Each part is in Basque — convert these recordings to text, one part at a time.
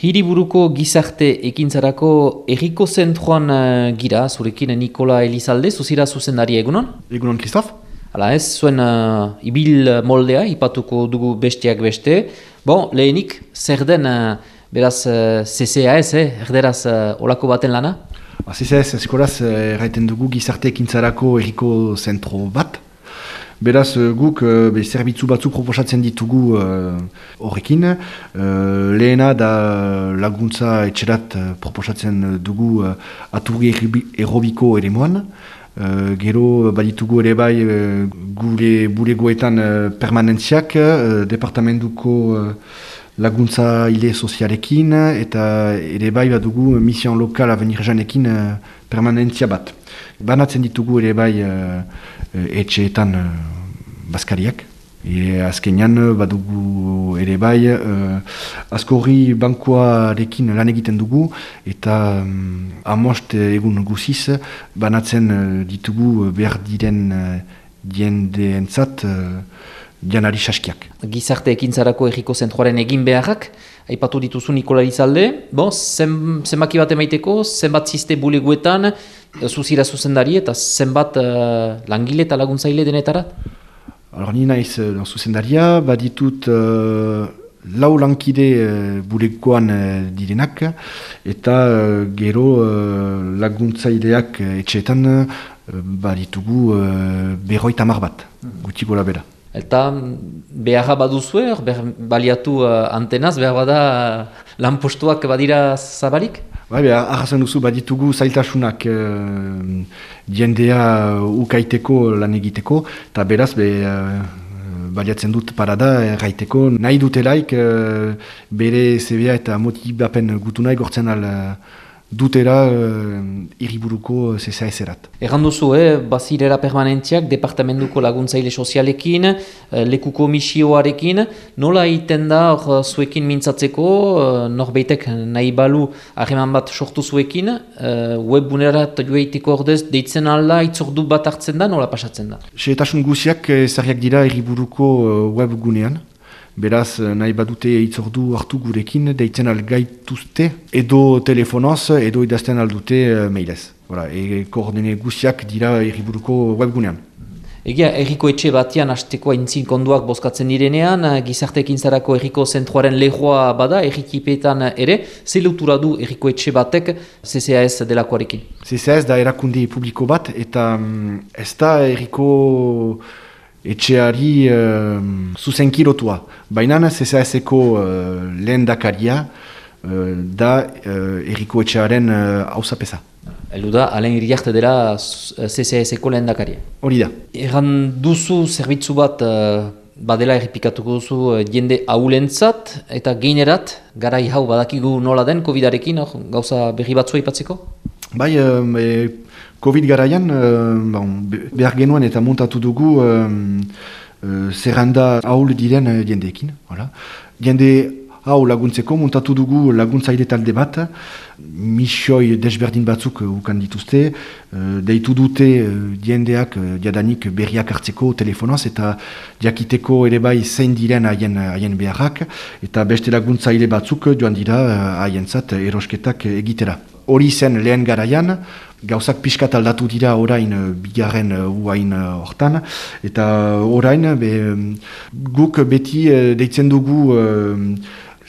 Hiriburuko gizarte ekintzarako herriko zentroan gira, zurekin Nikola Elizalde, zuzira zuzendari egunon? Egunon, Kristof? Hala ez, zuen ibil moldea, ipatuko dugu besteak beste. Bon, lehenik, zer den, beraz, CCAS, erderaz olako baten lana? CCAS, eskoraz, erraiten dugu gizarte ekintzarako herriko zentro bat. Beraz, guk zerbitzu batzuk proposatzen ditugu horrekin. Lehena da laguntza etxerat proposatzen dugu aturri aerobiko eremuan. Gero baditugu ere bai gure bulegoetan permanentziak, departamentuko laguntza ile sozialekin, eta ere bai badugu mission lokal Avenir Janekin permanentzia bat. Banatzen ditugu ere bai etxeetan bazkariak. Azkenean badugu ere bai askorri bankoarekin lan egiten dugu eta amost egun guziz banatzen ditugu behar diren jendeentzat janari saskiak. Gizarte ekintzarako herriko zentroaren egin beharrak, aipatu dituzu Nikola Elizalde, zenbaki bat emaiteko, zenbat ziste buleguetan, zuzira zuzendari eta zenbat langile eta laguntzaile denetara? Ni naiz zuzendaria, baditut lau lankide bulegoan direnak, eta gero laguntzaileak etxeetan baditugu 50 bat, guti gola bera. Eta beharra baduzue, baliatu antenaz, behar bada lanpostuak badira zabalik? Arrazan duzu baditugu zailtasunak jendea ukaiteko lan egiteko, eta beraz baliatzen dut parada erraiteko. Nahi dutelaik bere zebea eta motibapen gutunai gortzen dutera hiriburuko CCAS-erat. Erran duzu, bazirera permanentziak, departamentuko laguntzaile sozialekin, lekuko misioarekin, nola egiten da zuekin mintzatzeko, norbeitek nahi balu harreman bat sortu zuekin, webbunerat joeiteko ordez, deitzen alda, itzordu bat hartzen da, nola pasatzen da? Xehetasun guziak ezarriak dira hiriburuko webgunean. Beraz, nahi badute itzordu hartu gurekin, deitzen algaituzte, edo telefonoz, edo idazten aldute mailez. Koordine guziak dira hiriburuko webgunean. Egia, herriko etxe batean hasteko aintzin konduak bozkatzen direnean, gizarte ekintzarako herriko zentroaren lehoa bada, herrikipetan ere, ze lotura du herriko etxe batek CCAS delakoarekin? CCAS da erakunde publiko bat, eta ez da herriko etxeari zuzenkirotua. Baina CCAS-eko lehen dakaria da herriko etxearen hausapesa. Eldu da, Alain Iriarte dela CCAS-eko lehen dakaria. Hori da. Erran duzu zerbitzu bat badela errepikatuko duzu jende ahulentzat eta geinerat, garai hau badakigu nola den COVID-arekin, gauza berri batzua aipatzeko? Bai, COVID garaian behar genuen eta montatu dugu zerrenda ahul diren jendeekin. Jende hau laguntzeko montatu dugu laguntzaile talde bat, misioi desberdin batzuk ukan dituzte, deitu dute jendeak jadanik berriak hartzeko telefonoz eta jakiteko ere bai zein diren haien beharrak, eta beste laguntzaile batzuk joan dira haientzat erosketak egitera. Hori zen lehen garaian, gauzak pixkat aldatu dira orain bigarren uain hortan, eta orain guk beti deitzen dugu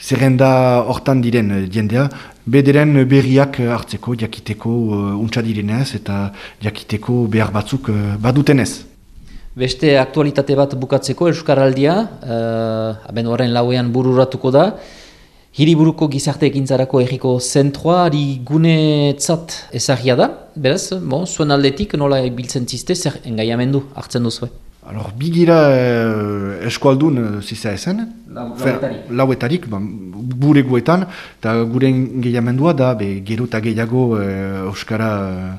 zerrenda hortan diren jendea, bederen berriak hartzeko, jakiteko untsa direnez eta jakiteko behar batzuk badutenez. Beste aktualitate bat bukatzeko Euskaraldia, abenduaren 4ean bururatuko da, Hiriburuko gizarte ekintzarako herriko zentroa gunetzat ezagia da, beraz, zuen aldetik nola biltzen ziste, zer engaiamendu hartzen duzue? Bigira eskualdun CCAS-en, lauetarik, bulegoetan, eta gure engaiamendua da gero eta gehiago euskara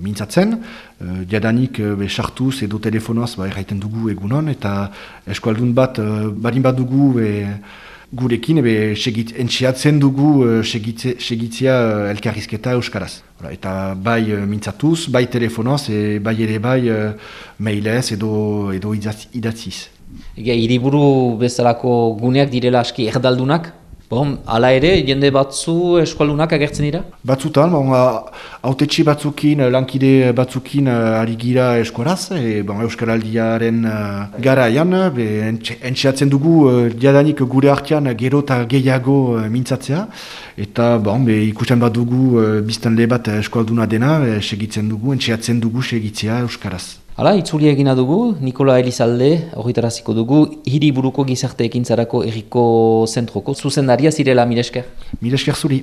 mintzatzen, jadanik sartuz edo telefonoaz erraiten dugu egunon, eta eskualdun bat barin bat dugu gurekin entxeatzen dugu segitzea elkarrizketa euskaraz. Eta bai mintzatuz, bai telefonoz, bai ere bai mailez edo idatziz. Hiriburu bezalako guneak direla aski erdaldunak? Bon, hala ere, jende batzu eskualunak agertzen dira? Batzutan, autetxe batzukin, lankide batzukin ari gira eskuaraz, Euskaraldiaren garaian, entxeatzen dugu diadanik gure artean gero eta gehiago mintzatzea, eta ikusten bat dugu biztanle bat eskualduna dena, entxeatzen dugu segitzea Euskaraz. Hala, itzulia egina dugu, Nikola Elizalde, horretaraziko dugu, hiriburuko gizarte ekintzarako erriko zentroko, zuzendaria zirela, mila esker. Mila esker zuri.